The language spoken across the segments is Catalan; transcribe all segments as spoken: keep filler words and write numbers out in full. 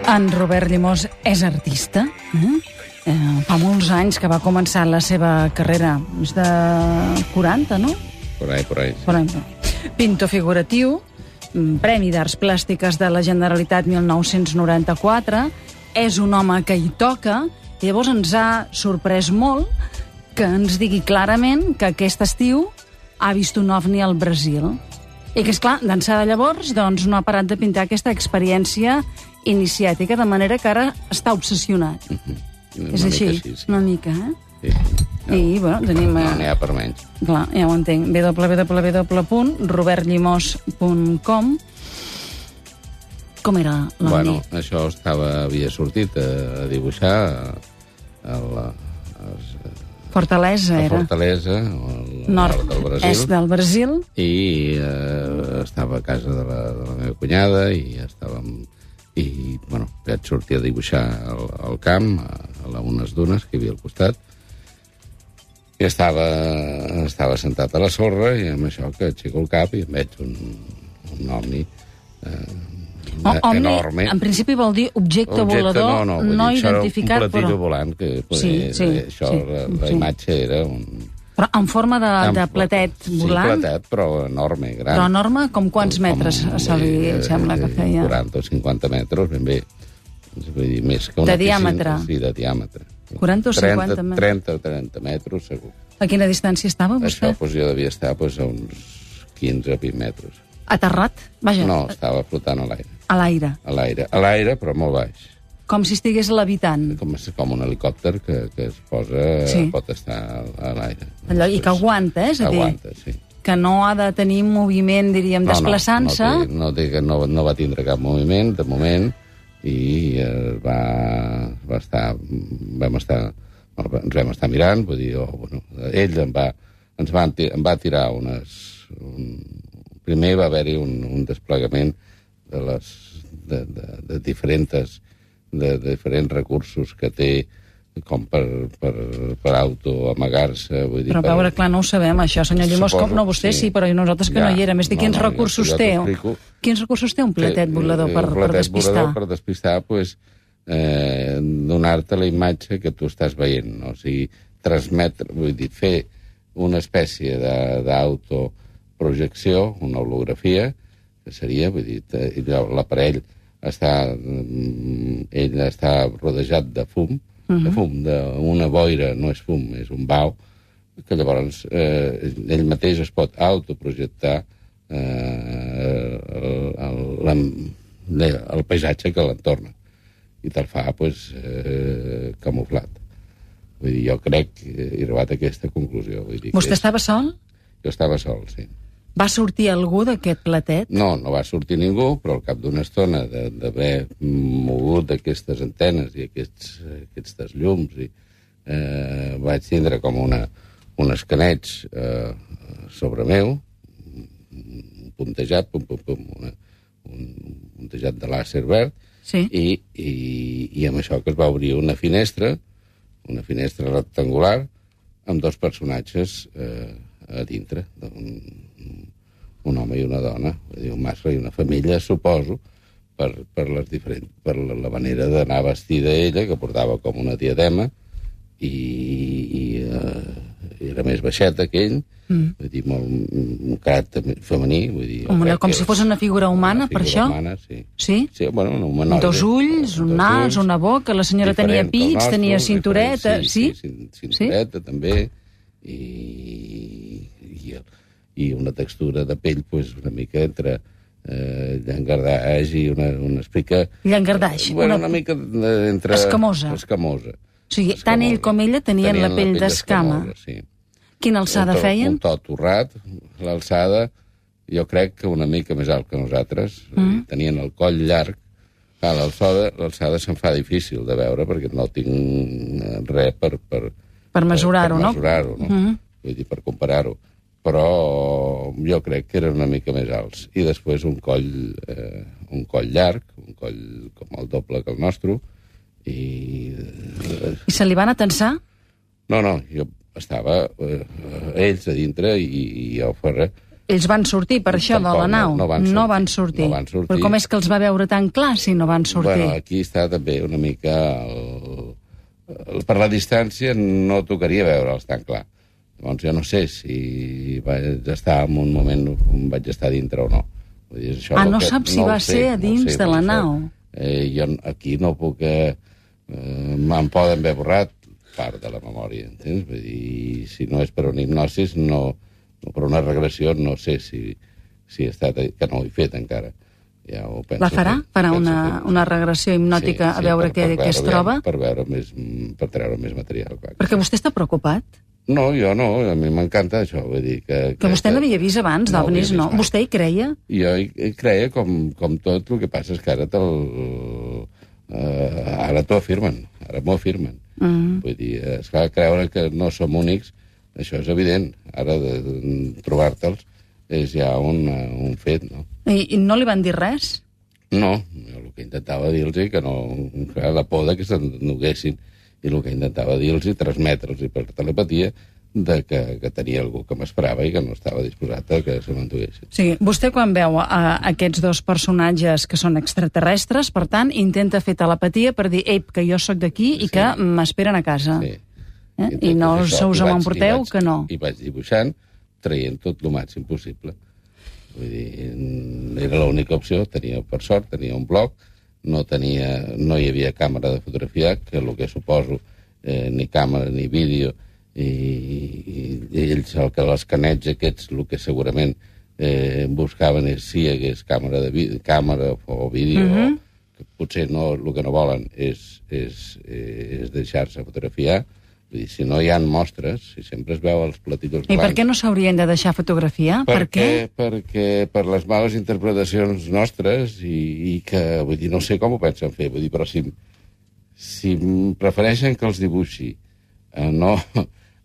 En Robert Llimós és artista. Eh? Eh, fa molts anys que va començar la seva carrera, més de quaranta, no? Por ahí, por ahí. Sí. Por ahí. Pintor figuratiu, Premi d'Arts Plàstiques de la Generalitat mil nou-cents noranta-quatre, és un home que hi toca, i llavors ens ha sorprès molt que ens digui clarament que aquest estiu ha vist un ovni al Brasil. I que, esclar, d'ençà de llavors doncs, no ha parat de pintar aquesta experiència iniciàtica, de manera que ara està obsessionat. Mm-hmm. És així, així sí. Una mica, eh? Sí, sí. No, I, bueno, tenim... No n'hi ha per menys. Clar, ja ho entenc. w w w punt robert llimós punt com. Com era l'ovni? Bueno, això estava, havia sortit a, a dibuixar a, a la... A, Fortalesa, a era. Fortalesa, al nord, nord del Brasil. Est del Brasil. I eh, estava a casa de la, de la meva cunyada i estàvem... I, bueno, vaig sortir a dibuixar al, al camp, a, a unes dunes que hi havia al costat, i estava, estava sentat a la sorra i amb això que aixeco el cap i em veig un, un ovni eh, O, omni, enorme. En principi vol dir objecte, objecte volador no, no, no dir, identificat, un platillo però... volant, que poder, Sí, sí, això, sí, la, la sí. imatge era un... Però en forma de, de en- platet volant, Sí, platet, però enorme, gran. però enorme, com quants metres se li eh, sembla que feia? quaranta o cinquanta metres, ben bé. Vull dir, més que una De diàmetre? piscina, sí, de diàmetre. quaranta o cinquanta metres? trenta o trenta metres, segur. A quina distància estava Això vostè? doncs, jo devia estar doncs, a uns quinze o vint metres. Aterrat? Vaja, No, estava flotant a l'aire. a l'aire. A l'aire, a l'aire, però molt baix. Com si estigués levitant. Com, com un helicòpter que, que es posa, Sí. pot estar a l'aire. Allò, I que aguanta, eh? És a dir, Aguanta, sí. que no ha de tenir moviment, diríem, No, no, desplaçant-se. No, té, no, té, no, no va tindre cap moviment, de moment, i eh, va, va estar, vam estar, ens vam estar mirant, vull dir, oh, bueno, ell em va, ens va, em va tirar unes... Un, primer va haver-hi un, un desplegament de, les, de, de, de, diferents, de, de diferents recursos que té com per, per, per auto-amagar-se. Vull dir, Però a veure, clar, no ho sabem, això, senyor Llimós, Suposo, com no vostè sí, sí. però nosaltres que Ja, no hi érem. És dir, no, quins no, recursos jo té? t'explico. Quins recursos té un platet volador per, un per platet despistar? volador per despistar, pues, eh, donar-te la imatge que tu estàs veient, no? O sigui, transmetre, vull dir, fer una espècie de- d'autoprojecció, una holografia, que seria, vull dir, te- i l'aparell està, mm, ell està rodejat de fum, de fum, d'una boira, no és fum, és un bau, que llavors eh, ell mateix es pot autoprojectar eh, el, el, el, el paisatge que l'entorna i te'l fa pues, eh, camuflat. Vull dir, jo crec que he arribat a aquesta conclusió. Vull dir, Vostè que és... estava sol? Jo estava sol, sí. Va sortir algú d'aquest platet? No, no va sortir ningú, però al cap d'una estona de- d'haver mogut aquestes antenes i aquests, aquests llums, i, eh, vaig tindre com una, un escaneig eh, sobre meu, un puntejat, pum, pum, pum, una, un puntejat de làser verd, Sí. i, i, i amb això que es va obrir una finestra, una finestra rectangular, amb dos personatges eh, a dintre, un, un home i una dona, vull dir, un mascle i una femella, suposo, per, per, les diferents, per la, la manera d'anar vestida ella, que portava com una diadema, i, i eh, era més baixeta que ell, mm. vull dir, molt, un caràcter femení, vull dir... Com, una, crec com que si fos una figura humana, una per figura això? Humana, sí. Sí? Sí, bueno, un humanoide. Dos ulls, un Dos nas, ulls, una boca, la senyora tenia diferent que el pits, nostre, tenia diferent, cintureta, sí? Sí, sí, cintureta, també, i, i, i una textura de pell pues, una mica entre eh, llangardaix i una, una explica... Llangardaix, Bueno, una- una mica de- entre... Escamosa. Escamosa. O sigui, tant ell com ella tenien la pell d'escama. escamosa, sí. Quina alçada un to, feien? Un to torrat, l'alçada, jo crec que una mica més alt que nosaltres. Mm. Tenien el coll llarg. Clar, l'alçada, l'alçada se'm fa difícil de veure perquè no tinc res per... Per, Per mesurar-ho, per no? mesurar-ho, no? Mm. Vull dir, per comparar-ho. Però jo crec que eren una mica més alts. I després un coll, eh, un coll llarg, un coll com el doble que el nostre, i... Eh, I se li van atensar? no, no, jo estava eh, ells a dintre i, i jo fora Ells van sortir per això Tampoc, de la nau? No, no, van sortir, no van sortir. No van sortir. Però com és que els va veure tan clar si no van sortir? Bueno, aquí està també una mica... El, el, per la distància no tocaria veure'ls tan clar. Llavors jo no sé si vaig estar en un moment on vaig estar dintre o no. Vull dir, això ah, no que, saps si no va sé, ser a dins no sé, de la això, nau? Eh, jo aquí no puc... Eh, eh, me'n poden haver borrat part de la memòria, entens? Vull dir, si no és per una hipnosis, no... no per una regressió, no sé si, si he estat... que no ho he fet encara. Ja ho penso la farà? Fer, farà una, una regressió hipnòtica sí, sí, a veure què es troba? Per veure més, per treure més material. Clar. Perquè vostè està preocupat? No, jo no, a mi m'encanta això, vull dir que... Que, que vostè n'havia vist abans, no d'ovnis, no? Mai. Vostè hi creia? Jo hi, hi creia com, com tot, el que passa és que ara te'l... Uh, ara t'ho afirmen, ara m'ho afirmen. Mm -hmm. Vull dir, esclar, creure que no som únics, això és evident. Ara de, de trobar-te'ls és ja un, un fet, no? I, I no li van dir res? No, jo el que intentava dir-los que no... Clar, la por de que s'ennuguessin i el que intentava dir-los i transmetre'ls per telepatia de que, que tenia algú que m'esperava i que no estava disposat a que se m'entuguessin. Sí, vostè quan veu a aquests dos personatges que són extraterrestres, per tant, intenta fer telepatia per dir, ei, que jo sóc d'aquí i sí. que m'esperen a casa. Sí. Eh? I no us us m'emporteu, que no. I vaig dibuixant, traient tot el màxim possible. Vull dir, era l'única opció, tenia, per sort, tenia un blog, no, tenia, no hi havia càmera de fotografiar, que el que suposo, eh, ni càmera ni vídeo, i, i, i ells, el que l'escaneig aquests, el que segurament eh, buscaven és si hi hagués càmera, de vídeo, càmera o vídeo, uh -huh. o, que potser no, el que no volen és, és, és deixar-se fotografiar. Vull dir, si no hi ha mostres, si sempre es veu els platillos blancs... I per què no s'haurien de deixar fotografiar? Per, per què? Perquè per les males interpretacions nostres i, i que, vull dir, no sé com ho pensen fer, vull dir, però si, si prefereixen que els dibuixi, a no,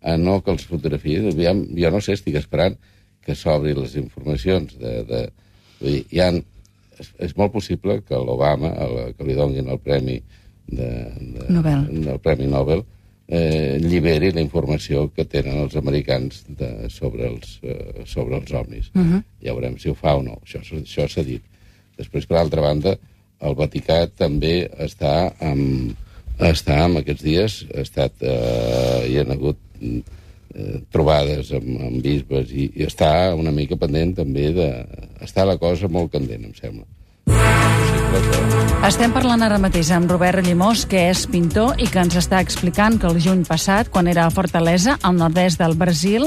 a no que els fotografiï, jo no sé, estic esperant que s'obri les informacions de... de vull dir, hi ha, és, és molt possible que l'Obama, que li donin el premi de, de, Nobel. del Premi Nobel, eh, lliberi la informació que tenen els americans de, sobre, els, eh, sobre els ovnis. Uh -huh. Ja veurem si ho fa o no. Això, això s'ha dit. Després, per altra banda, el Vaticà també està amb, està amb aquests dies, ha estat, eh, hi ha hagut eh, trobades amb, amb bisbes i, i està una mica pendent també de... Està la cosa molt candent, em sembla. Estem parlant ara mateix amb Robert Llimós, que és pintor i que ens està explicant que el juny passat, quan era a Fortaleza, al nord-est del Brasil,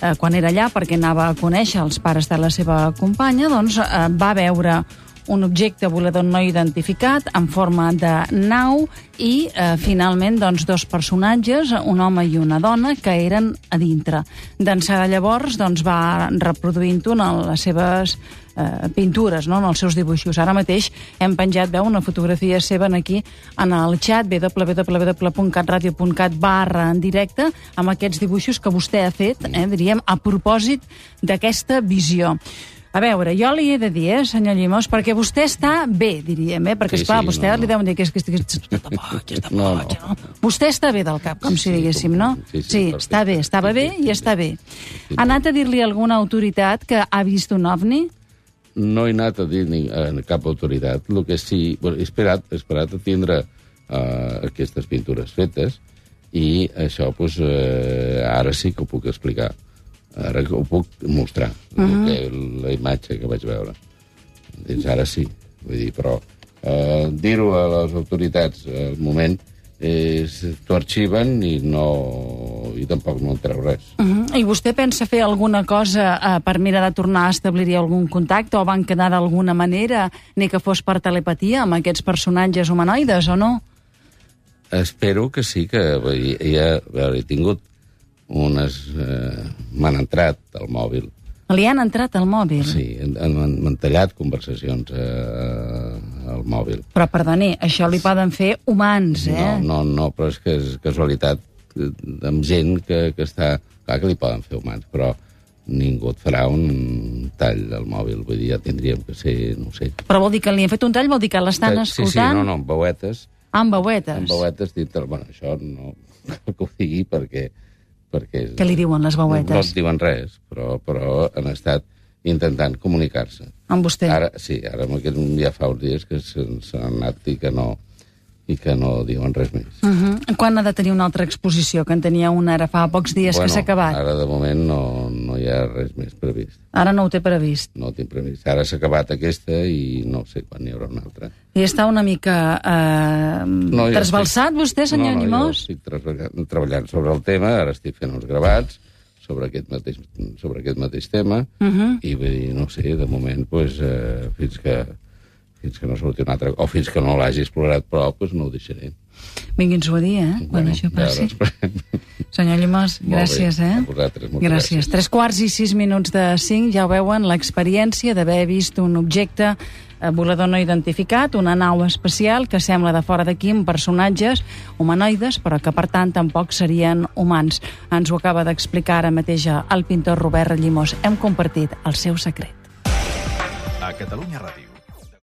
eh, quan era allà perquè anava a conèixer els pares de la seva companya, doncs eh, va veure un objecte volador no identificat en forma de nau i, eh, finalment, doncs, dos personatges, un home i una dona, que eren a dintre. D'ençà de llavors, doncs, va reproduint-ho en les seves eh, pintures, no?, en els seus dibuixos. Ara mateix hem penjat, veu, una fotografia seva aquí en el xat w w w punt catradio punt cat barra en directe amb aquests dibuixos que vostè ha fet, eh, diríem, a propòsit d'aquesta visió. A veure, jo li he de dir, eh, senyor Llimós, perquè vostè està bé, diríem, eh? Perquè, sí, esclar, sí, vostè no, li no. deuen dir que és que estic... Està boig, està boig, no? Vostè està bé del cap, com si diguéssim, no? Sí, sí, sí està bé, estava sí, bé sí, i està bé. Sí, Ha anat a dir-li a alguna autoritat que ha vist un ovni? No he anat a dir ni a cap autoritat. El que sí... Bueno, he esperat, he esperat a tindre uh, aquestes pintures fetes i això, doncs, uh, ara sí que ho puc explicar. Ara ho puc mostrar, uh -huh. que, la imatge que vaig veure. Doncs ara sí, vull dir, però eh, dir-ho a les autoritats al moment és t'ho arxiven i no i tampoc no en treu res. Uh -huh. I vostè pensa fer alguna cosa eh, per mirar de tornar a establir algun contacte o van quedar d'alguna manera, ni que fos per telepatia, amb aquests personatges humanoides, o no? Espero que sí, que ja, a veure, he tingut unes... Eh, m'han entrat al mòbil. Li han entrat al mòbil? Sí, m'han tallat conversacions eh, al mòbil. Però, perdoni, això li poden fer humans, eh? No, no, no, però és que és casualitat amb gent que, que està... Clar que li poden fer humans, però ningú et farà un tall al mòbil. Vull dir, ja tindríem que ser, no sé... Però vol dir que li han fet un tall? Vol dir que l'estan sí, escoltant? Sí, sí, no, no, amb veuetes. Ah, amb veuetes. Amb veuetes dintre... Bueno, això no cal que ho digui perquè... perquè Què li diuen les veuetes? No et diuen res, però, però han estat intentant comunicar-se. Amb vostè? Ara, sí, ara aquest, ja fa uns dies que s'han anat i que no i que no diuen res més. Uh -huh. Quan ha de tenir una altra exposició? Que en tenia una ara fa pocs dies bueno, que s'ha acabat. Ara, de moment, no, no hi ha res més previst. Ara no ho té previst? No ho tinc previst. Ara s'ha acabat aquesta i no sé quan hi haurà una altra. I està una mica eh, no, trasbalsat, estic... vostè, senyor no, no, Llimós? Jo estic treballant sobre el tema, ara estic fent uns gravats sobre aquest mateix, sobre aquest mateix tema, uh -huh. i vull dir, no sé, de moment, pues, eh, fins que fins que no surti un altre, o fins que no l'hagi explorat prou, doncs no ho deixaré. Vingui'ns-ho a dir, eh, quan bueno, això passi. Ja senyor Llimós, gràcies, bé. eh? A vosaltres, moltes gràcies. gràcies. Tres quarts i sis minuts de cinc, ja ho veuen, l'experiència d'haver vist un objecte volador no identificat, una nau espacial que sembla de fora d'aquí amb personatges humanoides, però que per tant tampoc serien humans. Ens ho acaba d'explicar ara mateix el pintor Robert Llimós. Hem compartit el seu secret. A Catalunya Ràdio.